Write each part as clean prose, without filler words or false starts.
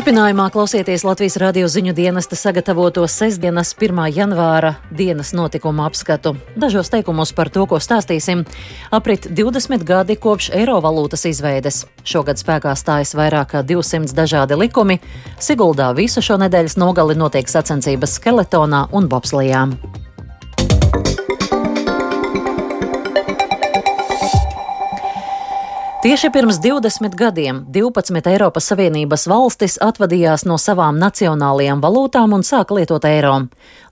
Turpinājumā klausieties Latvijas radio ziņu dienesta sagatavoto sestdienas 1. janvāra dienas notikumu apskatu. Dažos teikumos par to, ko stāstīsim. Aprit 20 gadi kopš eiro valūtas izveides. Šogad spēkā stājas vairāk kā 200 dažādi likumi. Siguldā visu šo nedēļas nogali notiek sacensības skeletonā un bobslijām. Tieši pirms 20 gadiem 12 Eiropas Savienības valstis atvadījās no savām nacionālajām valūtām un sāka lietot eiro.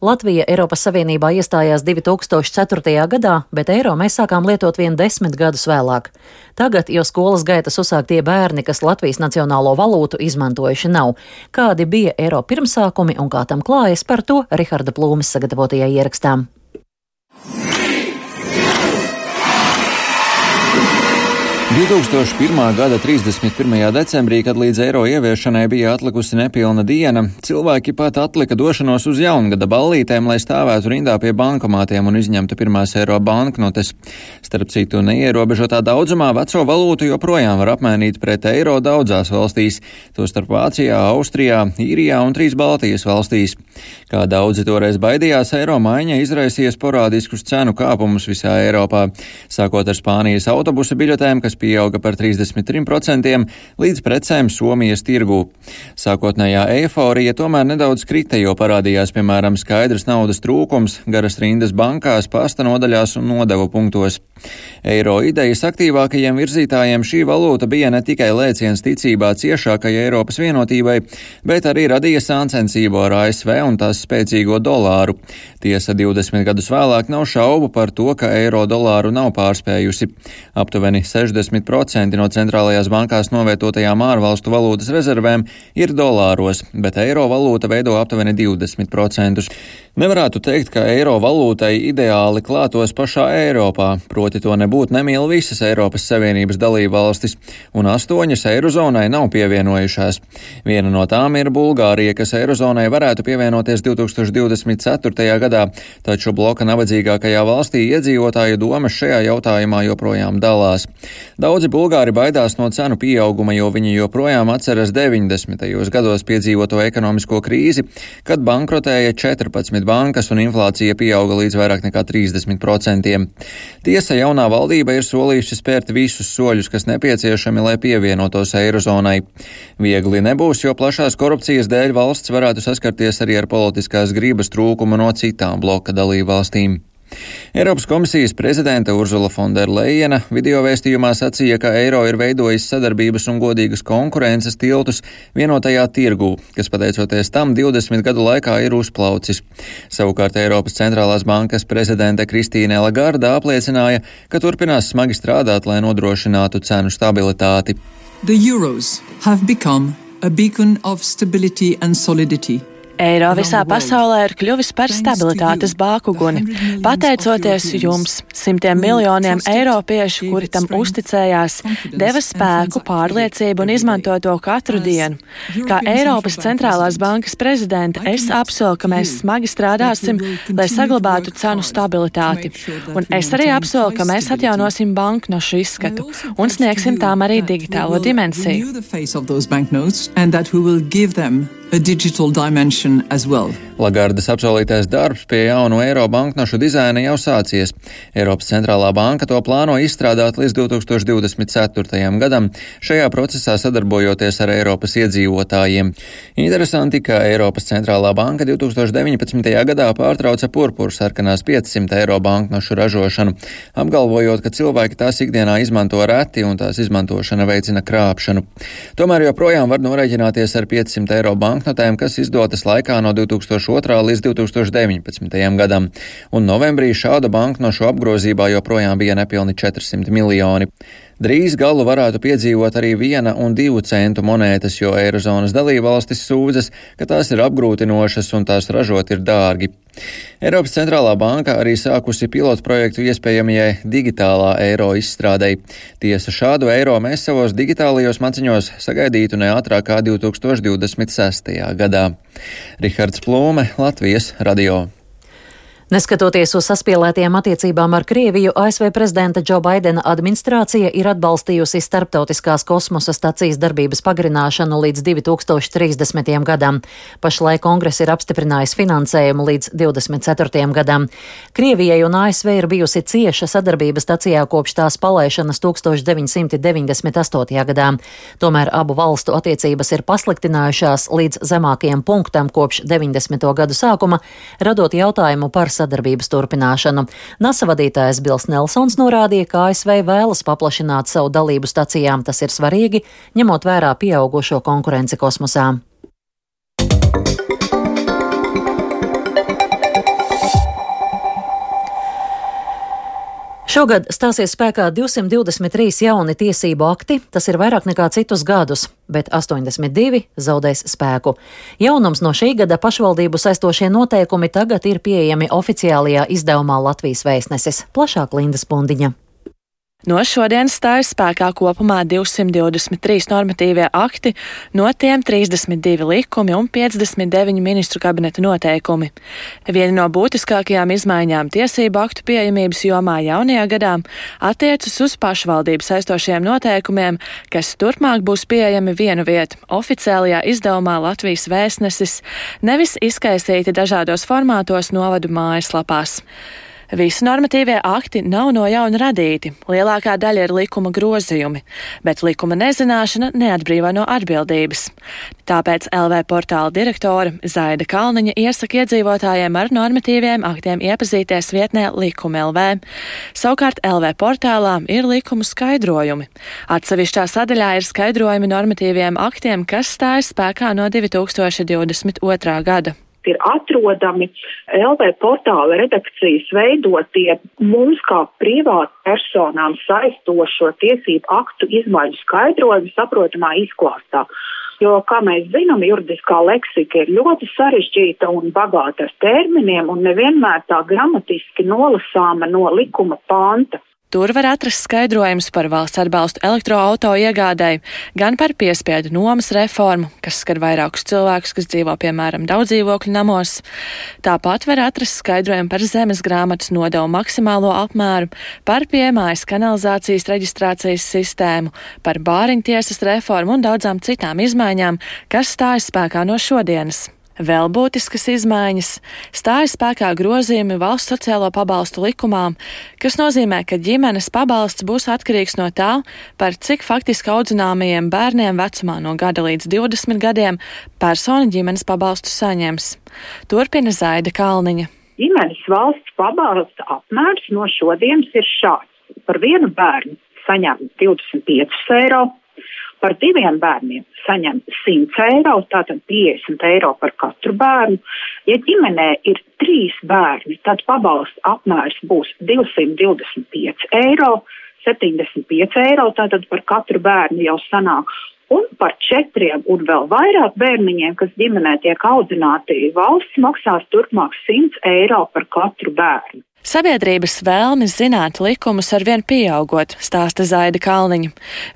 Latvija Eiropas Savienībā iestājās 2004. gadā, bet eiro mēs sākām lietot vien 10 gadus vēlāk. Tagad jau skolas gaitas uzsāk tie bērni, kas Latvijas nacionālo valūtu izmantojuši nav. Kādi bija eiro pirmsākumi un kā tam klājas, par to Riharda Plūmes sagatavotajā ierakstā. 2001. gada 31. decembrī, kad līdz eiro ieviešanai bija atlikusi nepilna diena, cilvēki pat atlika došanos uz jaungada ballītēm, lai stāvētu rindā pie bankomātiem un izņemtu pirmās eiro banknotes. Starp citu, neierobežotā daudzumā veco valūtu joprojām var apmainīt pret eiro daudzās valstīs, tostarp Vācijā, Austrijā, Īrijā un 3 Baltijas valstīs. Kā daudzi toreiz baidījās, eiro maiņa izraisīja sporādiskus cenu kāpumus visā Eiropā, sākot ar Spānijas autobusa biļetēm, kas pieauga par 33%, līdz precēm Somijas tirgū. Sākotnējā eiforija tomēr nedaudz krita, jo parādījās, piemēram, skaidrs naudas trūkums, garas rindas bankās, pasta nodaļās un nodevu punktos. Eiro idejas aktīvākajiem virzītājiem šī valūta bija ne tikai lēciens ticībā ciešākajai Eiropas vienotībai, bet arī radīja sāncensību ar ASV un tās spēcīgo dolāru. Tiesa 20 gadus vēlāk nav šaubu par to, ka eiro dolāru nav pārspējusi. Aptuveni 60% no centrālajās bankās novietotajām ārvalstu valūtas rezervēm ir dolāros, bet eiro valūta veido aptuveni 20%. Nevarētu teikt, ka eiro valūtai ideāli klātos pašā Eiropā, proti to nebūtu nemīl visas Eiropas Savienības dalībvalstis, un 8 eirozonai nav pievienojušās. Viena no tām ir Bulgārija, kas eirozonai varētu pievienoties 2024. gadā, taču bloka nabadzīgākajā valstī iedzīvotāju domas šajā jautājumā joprojām dalās. Daudzi bulgāri baidās no cenu pieauguma, jo viņi joprojām atceras 90. gados piedzīvoto ekonomisko krīzi, kad bankrotēja 14 bankas un inflācija pieauga līdz vairāk nekā 30%. Tiesa, jaunā valdība ir solījusi spērt visus soļus, kas nepieciešami, lai pievienotos eirozonai. Viegli nebūs, jo plašās korupcijas dēļ valsts varētu saskarties arī ar politiskās gribas trūkumu no citām bloka dalībvalstīm. Eiropas komisijas prezidente Urzula Fonderlejena video vēstījumā sacīja, ka eiro ir veidojis sadarbības un godīgas konkurences tiltus vienotajā tirgū, kas pateicoties tam 20 gadu laikā ir uzplaucis. Savukārt Eiropas centrālās bankas prezidente Kristīne Lagarde apliecināja, ka turpinās smagi strādāt, lai nodrošinātu cenu stabilitāti. The euros have become a beacon of stability and solidity. Eiro visā pasaulē ir kļuvis par stabilitātes bākuguni. Pateicoties jums, simtiem miljoniem eiropiešu, kuri tam uzticējās, deva spēku, pārliecību un izmanto to katru dienu. Kā Eiropas centrālās bankas prezidente, es apsolu, ka mēs smagi strādāsim, lai saglabātu cenu stabilitāti. Un es arī apsolu, ka mēs atjaunosim banknošu izskatu un sniegsim tām arī digitālo dimensiju. A digital dimension as well. Lagardes apsolītais darbs pie jaunu eiro banknošu dizaina jau sācies. Eiropas centrālā banka to plāno izstrādāt līdz 2024. gadam, šajā procesā sadarbojoties ar Eiropas iedzīvotājiem. Interesanti, ka Eiropas centrālā banka 2019. gadā pārtrauca purpuru sarkanās 500 eiro banknošu ražošanu, apgalvojot, ka cilvēki tās ikdienā izmanto reti un tās izmantošana veicina krāpšanu. Tomēr joprojām var norēķināties ar 500 eiro banknotēm, kas izdotas laikā no 2002. līdz 2019. gadam, un novembrī šāda banknošu apgrozībā joprojām bija nepilni 400 miljoni. Drīz galu varētu piedzīvot arī 1 un 2 centu monētas, jo eirozonas dalībvalstis sūdzas, ka tās ir apgrūtinošas un tās ražot ir dārgi. Eiropas centrālā banka arī sākusi pilotprojektu iespējamajai digitālā eiro izstrādei. Tiesa, šādu eiro mēs savos digitālajos maciņos sagaidītu ne ātrāk kā 2026. gadā. Rihards Plūme, Latvijas radio. Neskatoties uz saspīlētajām attiecībām ar Krieviju, ASV prezidenta Džo Baidena administrācija ir atbalstījusi starptautiskās kosmosa stacijas darbības pagarināšanu līdz 2030. gadam. Pašlaik kongress ir apstiprinājis finansējumu līdz 2024. gadam. Krievijai un ASV ir bijusi cieša sadarbība stacijā kopš tās palaišanas 1998. gadā. Tomēr abu valstu attiecības ir pasliktinājušās līdz zemākajam punktam kopš 90. gadu sākuma, radot jautājumu par sadarbības turpināšanu. NASA vadītājs Bils Nelsons norādīja, ka ASV vēlas paplašināt savu dalību stacijām. Tas ir svarīgi, ņemot vērā pieaugušo konkurenci kosmosā. Šogad stāsies spēkā 223 jauni tiesību akti, tas ir vairāk nekā citus gadus, bet 82 zaudēs spēku. Jaunums no šī gada pašvaldību saistošie noteikumi tagad ir pieejami oficiālajā izdevumā Latvijas Vēstnesis. Plašāk Linda Spundiņa. No šodienas stājas spēkā kopumā 223 normatīvie akti, no tiem 32 likumi un 59 ministru kabineta noteikumi. Viena no būtiskākajām izmaiņām tiesību aktu pieejamības jomā jaunajā gadā attiecas uz pašvaldību saistošiem noteikumiem, kas turpmāk būs pieejami vienu vietu oficiālajā izdevumā Latvijas Vēstnesis, nevis izkaisīti dažādos formātos novadu mājaslapās. Visi normatīvie akti nav no jauna radīti, lielākā daļa ir likuma grozījumi, bet likuma nezināšana neatbrīvo no atbildības. Tāpēc LV portāla direktore Zaida Kalniņa iesaka iedzīvotājiem ar normatīviem aktiem iepazīties vietnē Likumi LV. Savukārt LV portālā ir likumu skaidrojumi. Atsevišķā sadaļā ir skaidrojumi normatīviem aktiem, kas stājas spēkā no 2022. gada. Ir atrodami LV portāla redakcijas veidotie mums kā privātu personām saistošo tiesību aktu izmaiņu skaidrojumi saprotamā izklāstā. Jo, kā mēs zinām, juridiskā leksika ir ļoti sarežģīta un bagāta ar terminiem un nevienmēr tā gramatiski nolasāma no likuma panta. Tur var atrast skaidrojums par valsts atbalstu elektroauto iegādēji, gan par piespiedu nomas reformu, kas skar vairākus cilvēkus, kas dzīvo, piemēram, daudzdzīvokļu namos. Tāpat var atrast skaidrojumu par zemes grāmatas nodevu maksimālo apmēru, par piemājas kanalizācijas reģistrācijas sistēmu, par bāriņtiesas reformu un daudzām citām izmaiņām, kas stājas spēkā no šodienas. Vēl būtiskas izmaiņas stājas spēkā grozījumi valsts sociālo pabalstu likumā, kas nozīmē, ka ģimenes pabalsts būs atkarīgs no tā, par cik faktiski audzināmajiem bērniem vecumā no gada līdz 20 gadiem persona ģimenes pabalstu saņems. Turpina Zaida Kalniņa. Ģimenes valsts pabalsta apmērs no šodienas ir šāds. Par vienu bērnu saņem 25 eiro. Par 2 bērniem saņem 100 eiro, tātad 50 eiro par katru bērnu. Ja ģimenē ir 3 bērni, tad pabalsta apmērs būs 225 eiro, 75 eiro, tātad par katru bērnu jau sanāk. Un par 4 un vēl vairāk bērniņiem, kas ģimenē tiek audzināti, valsts maksās turpmāk 100 eiro par katru bērnu. Sabiedrības vēlmes zināt likumus arvien pieaugot, stāsta Zaida Kalniņa.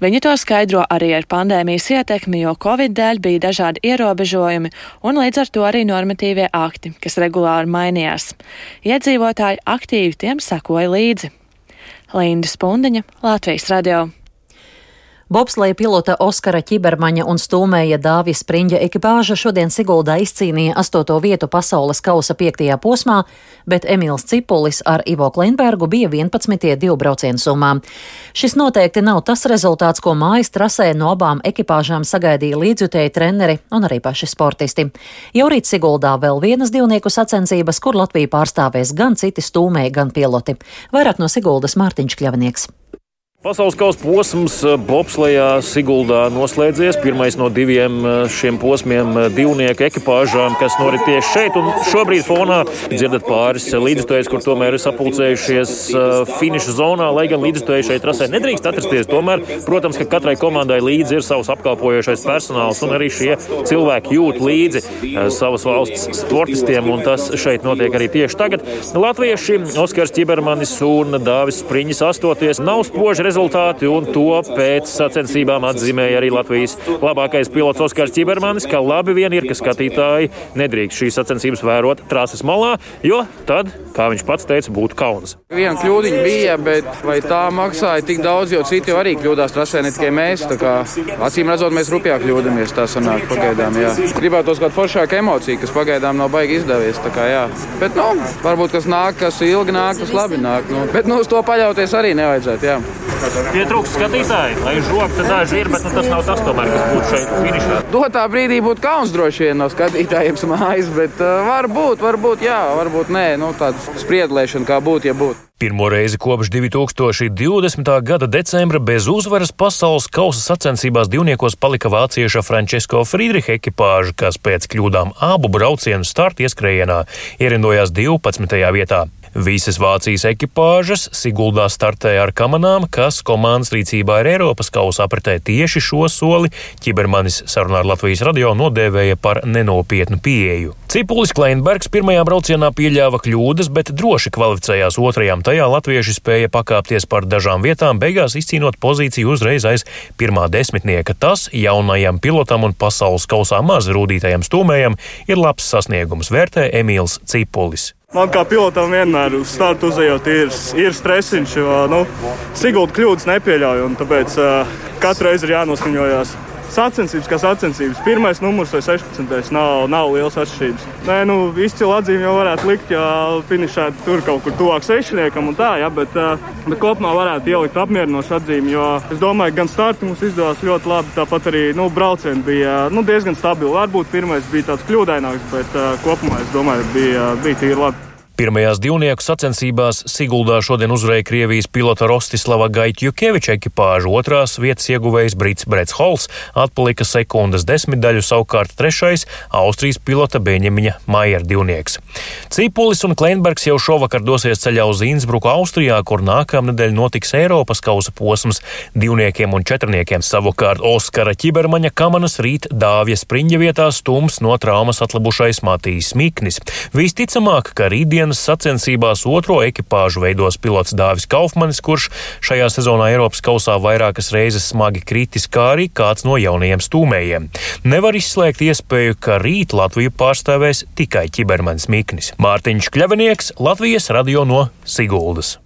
Viņa to skaidro arī ar pandēmijas ietekmi, jo Covid dēļ bija dažādi ierobežojumi un līdz ar to arī normatīvie akti, kas regulāri mainījās. Iedzīvotāji aktīvi tiem sekoja līdzi. Linda Spundiņa, Latvijas radio. Bobsleja pilota Oskara Ķibermaņa un stūmēja Dāvija Spriņģa ekipāža šodien Siguldā izcīnīja 8. vietu pasaules kausa 5. posmā, bet Emīls Cipulis ar Ivo Klinbergu bija 11. divbraucienu summā. Šis noteikti nav tas rezultāts, ko mājas trasē no abām ekipāžām sagaidīja līdzjutēji treneri un arī paši sportisti. Jau rīt Siguldā vēl vienas divnieku sacensības, kur Latviju pārstāvēs gan citi stūmēji, gan piloti. Vairāk no Siguldas Mārtiņš Kļavnieks. Pasaules kausa posms bobslejā Siguldā noslēdzies. Pirmais no 2 šiem posmiem divnieku ekipāžām, kas norit tieši šeit. Un šobrīd fonā dzirdat pāris līdzjutējus, kur tomēr ir sapulcējušies finiša zonā, lai gan līdzjutēji šeit trasē nedrīkst atrasties. Tomēr, protams, ka katrai komandai līdzi ir savs apkalpojošais personāls, un arī šie cilvēki jūt līdzi savas valsts sportistiem, un tas šeit notiek arī tieši tagad. Latvieši Oskars Ķibermanis un Dāvis Spriņģis astoties nav spoži rezultāti, un to pēc sacensībām atzīmēja arī Latvijas labākais pilots Oskars Čibermanis, ka labi vien ir, ka skatītāji nedrīkst šīs sacensības vērot trases malā, jo tad, kā viņš pats teica, būtu kauns. Viena kļūdiņa bija, bet vai tā maksāja tik daudz, jo citi jau arī kļūdās trasē, ne tikai mēs. Tā kā acīm redzot, mēs rupjāk kļūdamies, tā sanāk pagaidām, jā. Gribētos kādu foršāku emociju, kas pagaidām nav baigi izdevies, tā kā jā. Bet, varbūt kas nāk, kas ilgi nāk, tas labi nāk. Bet, uz to paļauties arī nevajadzētu, jā. Pietrūkst skatītāji, lai žokta daži ir, bet tas nav tas tomēr, kas būtu šeit finišā. Dotā brīdī būtu kauns droši vien no skatītājiem mājas, bet varbūt jā, varbūt nē, tāda spriedlēšana kā būtu, ja būtu. Pirmo reizi kopš 2020. gada decembra bez uzvaras pasaules kausa sacensībās divniekos palika vācieša Francesco Friedricha ekipāža, kas pēc kļūdām abu braucienu starta ieskrējienā ierindojās 12. vietā. Visas Vācijas ekipāžas Siguldā startēja ar kamanām, kas komandas rīcībā ir Eiropas kausa apritē. Tieši šo soli Čibermanis sarunā ar Latvijas radio nodēvēja par nenopietnu pieeju. Cipulis Kleinbergs pirmajā braucienā pieļāva kļūdas, bet droši kvalificējās otrajām. Tajā latvieši spēja pakāpties par dažām vietām, beigās izcīnot pozīciju uzreiz aiz pirmā desmitnieka. Tas jaunajam pilotam un pasaules kausā maz rūdītajam stūmējam ir labs sasniegums, vērtē Emīls Cipulis. Man kā pilotam vienmēr uz startu uzejot ir stresiņš, jo Sigulda kļūdas nepieļauj, un tāpēc katru reizi ir jānosmiņojās. Sacensības kā sacensības. Pirmais numurs vai 16. nav liels atšķirības. Izcila atzīme jau varētu likt, ja finišēt tur kaut kur tuvāk sešniekam un tā, ja, bet kopumā varētu ielikt apmierinošu atzīmi, jo es domāju, gan starti mums izdevās ļoti labi, tāpat arī braucieni bija diezgan stabili. Varbūt pirmais bija tāds kļūdaināks, bet kopumā es domāju, bija tīri labi. Pirmajās divnieku sacensībās Siguldā šodien uzvarēja Krievijas pilota Rostislava Gaitjukeviča ekipāža, otrās vietas ieguvējs brits Brets Hols, atpalika sekundes desmitdaļu, savukārt trešais Austrijas pilota Beņemiņa Maiera divnieks. Cipulis un Kleinbergs jau šovakar dosies ceļā uz Innsbruku, Austrijā, kur nākamnedēļ notiks Eiropas kausa posms divniekiem un četrniekiem. Savukārt Oskara Čibermaņa kamanas rīt Dāvja Spriņģa vietā stums no traumas atlabušais Matijs Miknis. Visticamāk, ka rītdien sacensībās otro ekipāžu veidos pilots Dāvis Kaufmanis, kurš šajā sezonā Eiropas kausā vairākas reizes smagi kritis, kā arī kāds no jaunajiem stūmējiem. Nevar izslēgt iespēju, ka rīt Latviju pārstāvēs tikai Čibermanis Miknis. Mārtiņš Kļavinieks, Latvijas radio no Siguldas.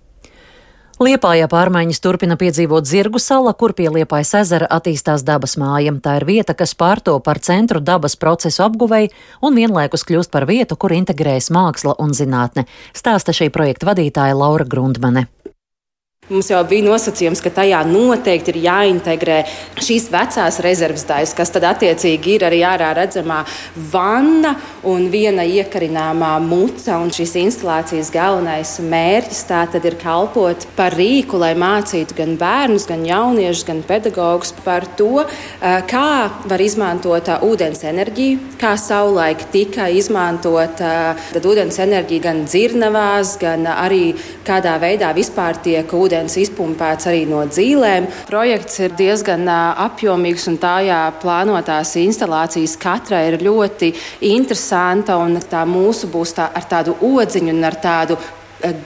Liepājā pārmaiņas turpina piedzīvot Zirgu sala, kur pie Liepājas ezera attīstās dabas māja. Tā ir vieta, kas pārto par centru dabas procesu apguvei un vienlaikus kļūst par vietu, kur integrējas māksla un zinātne, stāsta šī projekta vadītāja Laura Grundmane. Mums jau bija nosacījums, ka tajā noteikti ir jāintegrē šīs vecās rezerves daļas, kas tad attiecīgi ir arī ārā redzamā vanna un viena iekarināmā muca. Un šīs instalācijas galvenais mērķis tā tad ir kalpot par rīku, lai mācītu gan bērnus, gan jauniešus, gan pedagogus par to, kā var izmantot ūdens enerģiju, kā savulaik tika izmantot ūdens enerģija gan dzirnavās, gan arī kādā veidā vispār tiek ūdens izpumpēts arī no dzīlēm. Projekts ir diezgan apjomīgs un tajā plānotās instalācijas katra ir ļoti interesanta un tā mūsu būs ar tādu odziņu un ar tādu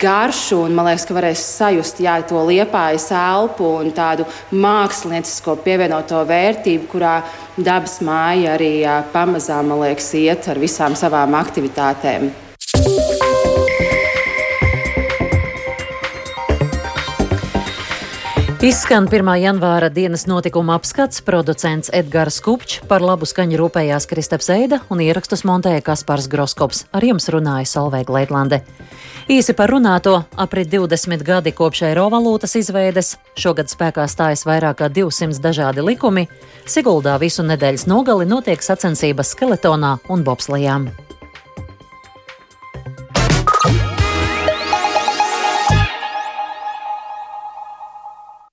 garšu, un man liekas, ka varēs sajust to Liepājas elpu un tādu māksliniecisko pievienoto vērtību, kurā dabas māja arī pamazām, man liekas, iet ar visām savām aktivitātēm. Izskan 1. janvāra dienas notikuma apskats, producents Edgars Kupčs, par labu skaņu rūpējās Kristaps Eida un ierakstus montēja Kaspars Groskops. Ar jums runāja Solveiga Leitlande. Īsi par runāto, aprit 20 gadi kopš eiro valūtas izveides, šogad spēkā stājas vairāk kā 200 dažādi likumi, Siguldā visu nedēļas nogali notiek sacensības skeletonā un bobslejām.